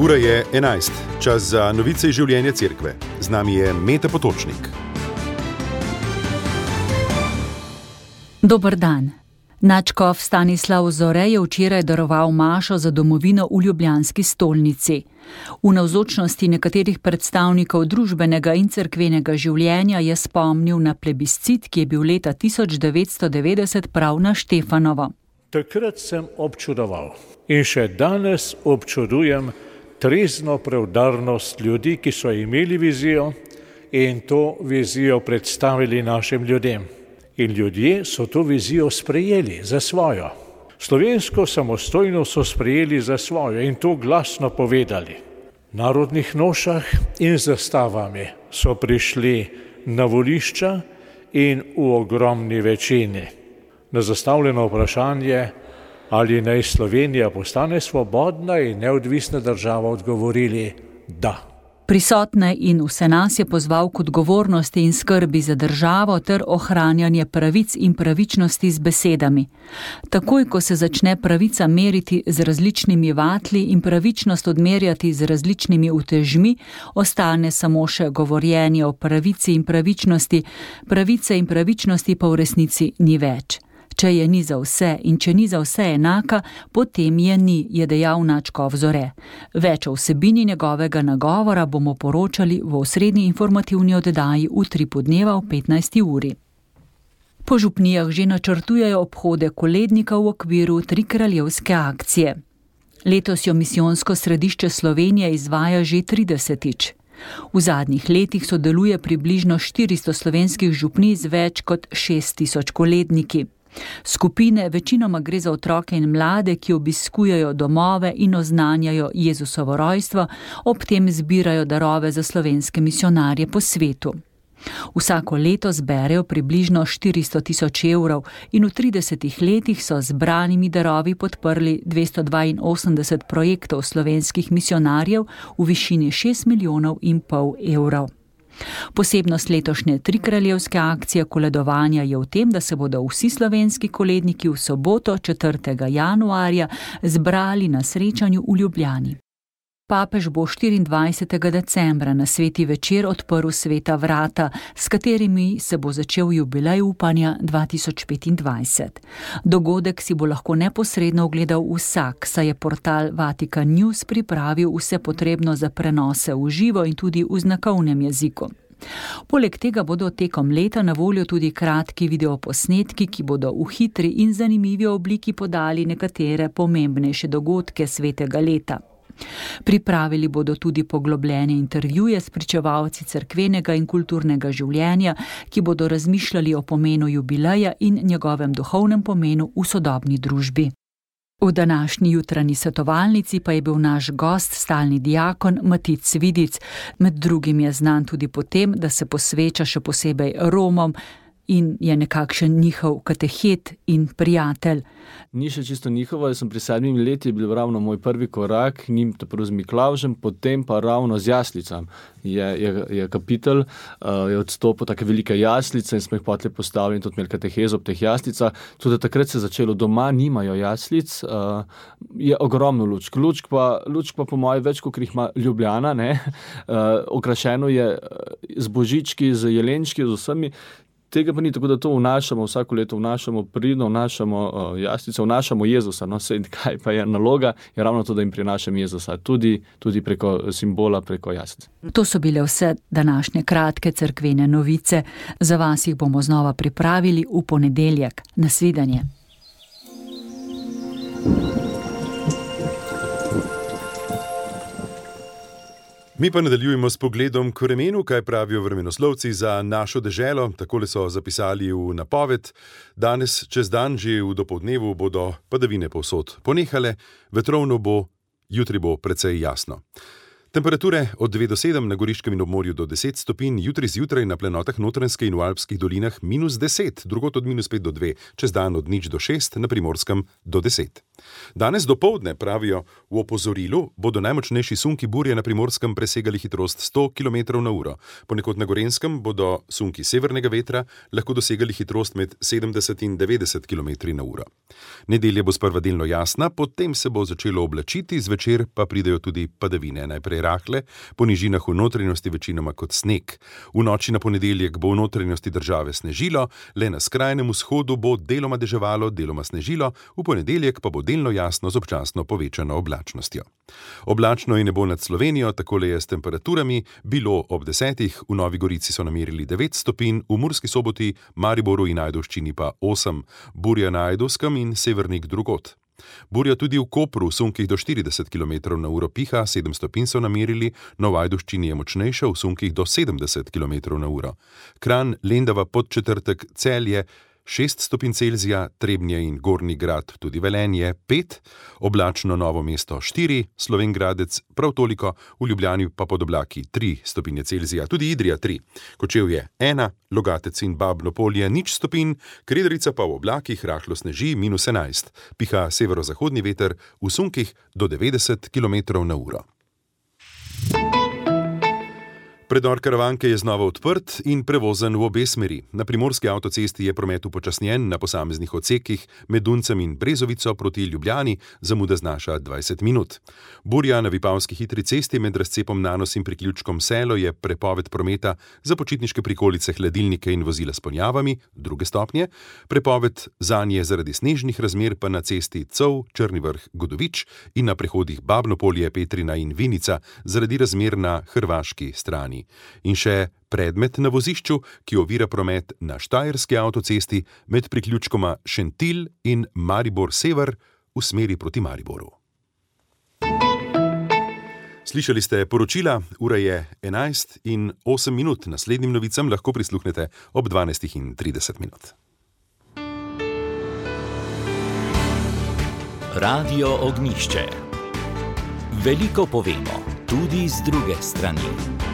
Ura je 11, čas za novice iz življenja cerkve. Z nami je Meta Potočnik. Dober dan. Nadškof Stanislav Zore je včeraj daroval mašo za domovino v ljubljanski stolnici. V navzočnosti nekaterih predstavnikov družbenega in cerkvenega življenja je spomnil na plebiscit, ki je bil leta 1990 prav na Štefanovo. Takrat sem občudoval in še danes občudujem trezno preudarnost ljudi, ki so imeli vizijo in to vizijo predstavili našim ljudem. In ljudje so to vizijo sprejeli za svojo. Slovensko samostojnost so sprejeli za svojo in to glasno povedali. V narodnih nošah in zastavami so prišli na volišča in v ogromni večini. Na zastavljeno vprašanje, ali naj Slovenija postane svobodna in neodvisna država, odgovorili da. Prisotne in vse nas je pozval k odgovornosti in skrbi za državo ter ohranjanje pravic in pravičnosti z besedami. Takoj, ko se začne pravica meriti z različnimi vatli in pravičnost odmerjati z različnimi utežmi, ostane samo še govorjenje o pravici in pravičnosti, pravice in pravičnosti pa v resnici ni več. Če je ni za vse in če ni za vse enaka, potem je ni, je dejal nadškof Zore. Več o vsebini njegovega nagovora bomo poročali v osrednji informativni oddaji Utri po dneva ob 15. uri. Po župnijah že načrtujejo obhode kolednika v okviru trikraljevske akcije. Letos jo misijonsko središče Slovenije izvaja že 30-tič. V zadnjih letih sodeluje približno 400 slovenskih župnij z več kot 6000 koledniki. Skupine, večinoma gre za otroke in mlade, ki obiskujejo domove in oznanjajo Jezusovo rojstvo, ob tem zbirajo darove za slovenske misionarje po svetu. Vsako leto zberejo približno 400 000 evrov in v 30 letih so z zbranimi darovi podprli 282 projektov slovenskih misionarjev v višini 6,5 milijona evrov. Posebnost letošnje trikraljevske akcije koledovanja je v tem, da se bodo vsi slovenski koledniki v soboto 4. januarja zbrali na srečanju v Ljubljani. Papež bo 24. decembra na sveti večer odprl sveta vrata, s katerimi se bo začel jubilej upanja 2025. Dogodek si bo lahko neposredno ogledal vsak, saj je portal Vatican News pripravil vse potrebno za prenose v živo in tudi v znakovnem jeziku. Poleg tega bodo tekom leta na voljo tudi kratki videoposnetki, ki bodo v hitri in zanimivi obliki podali nekatere pomembnejše dogodke svetega leta. Pripravili bodo tudi poglobljene intervjuje s pričevalci cerkvenega in kulturnega življenja, ki bodo razmišljali o pomenu jubileja in njegovem duhovnem pomenu v sodobni družbi. V današnji jutranji svetovalnici pa je bil naš gost stalni diakon Matic Vidic. Med drugim je znan tudi po tem, da se posveča še posebej Romom in je nekakšen njihov katehet in prijatelj. Ni še čisto njihovo, jaz sem pri 7 letih bil ravno moj prvi korak, njim prvo z Miklavžem, potem pa ravno z jaslicam. Je kapitelj, je odstopil take velike jaslice in smo jih potem postavili in tudi imeli katehezo ob teh jaslicah. Tudi takrat se je začelo, doma nimajo jaslic, je ogromno lučk. Lučk pa po moje več, kot jih ima Ljubljana, ne? Okrašeno je z božički, z jelenčki, z vsemi. Tega pa ni, tako da to vnašamo, vsako leto vnašamo pridno, vnašamo jaslice, vnašamo Jezusa. No, sej, kaj pa je naloga, je ravno to, da jim prinašam Jezusa, tudi preko simbola, preko jaslic. To so bile vse današnje kratke cerkvene novice. Za vas jih bomo znova pripravili v ponedeljek. Nasvidenje. Mi pa nadaljujemo s pogledom k vremenu, kaj pravijo vremenoslovci za našo deželo. Takole so zapisali v napoved. Danes čez dan, že v dopoldnevu, bodo padavine povsod ponehale, vetrovno bo, jutri bo precej jasno. Temperature od 2 do 7 na Goriškem in obmorju do 10 stopinj, jutri zjutraj na plenotah Notranjske in v alpskih dolinah -10, drugod od -5 do 2, čez dan od 0 do 6, na Primorskem do 10. Danes dopoldne, pravijo v opozorilu, bodo najmočnejši sunki burje na Primorskem presegali hitrost 100 km/h. Ponekod na Gorenjskem bodo sunki severnega vetra lahko dosegali hitrost med 70 in 90 km/h. Nedelja bo sprva delno jasna, potem se bo začelo oblačiti, zvečer pa pridejo tudi padavine, najprej rahle, po nižinah v notranjosti večinoma kot sneg. V noči na ponedeljek bo v notranjosti države snežilo, le na skrajnem vzhodu bo deloma deževalo, deloma snežilo, v ponedeljek pa bo delno jasno z občasno povečano oblačnostjo. Oblačno je nebo nad Slovenijo, takole je s temperaturami, bilo ob 10, v Novi Gorici so namerili 9 stopinj, v Murski Soboti, Mariboru in Ajdovščini pa 8, burja na Ajdovskem in Severnik drugod. Burja tudi v Kopru, v sunkih do 40 km/h piha, 7 stopinj so namerili, no v Ajdovščini je močnejša, v sunkih do 70 km/h. Kranj, Lendava, Podčetrtek, Celje 6 stopinj Celzija, Trebnje in Gornji Grad, tudi Velenje 5, oblačno Novo mesto 4, Slovenj Gradec prav toliko, v Ljubljani pa pod oblaki 3 stopinje Celzija, tudi Idrija 3, Kočevje 1, Logatec in Babno Polje 0 stopinj, Krederica pa v oblakih rahlo sneži -11, piha severozahodni veter v sunkih do 90 km/h. Predor Karavanke je znova odprt in prevozen v obe smeri. Na Primorski avtocesti je promet upočasnjen, na posameznih odsekih med Duncem in Brezovico proti Ljubljani zamuda znaša 20 minut. Burja na Vipavski hitri cesti med razcepom Nanos in priključkom Selo je prepoved prometa za počitniške prikolice, hladilnike in vozila s ponjavami, 2. stopnje, prepoved zanje zaradi snežnih razmer pa na cesti Cov, Črni Vrh, Godovič in na prehodih Babno Polje, Petrina in Vinica zaradi razmer na hrvaški strani. In še predmet na vozišču, ki ovira promet na Štajerski avtocesti med priključkoma Šentilj in Maribor Sever v smeri proti Mariboru. Slišali ste poročila, ura je 11:08. Naslednjim novicam lahko prisluhnete ob 12:30. Radio Ognjišče. Veliko povemo, tudi z druge strani.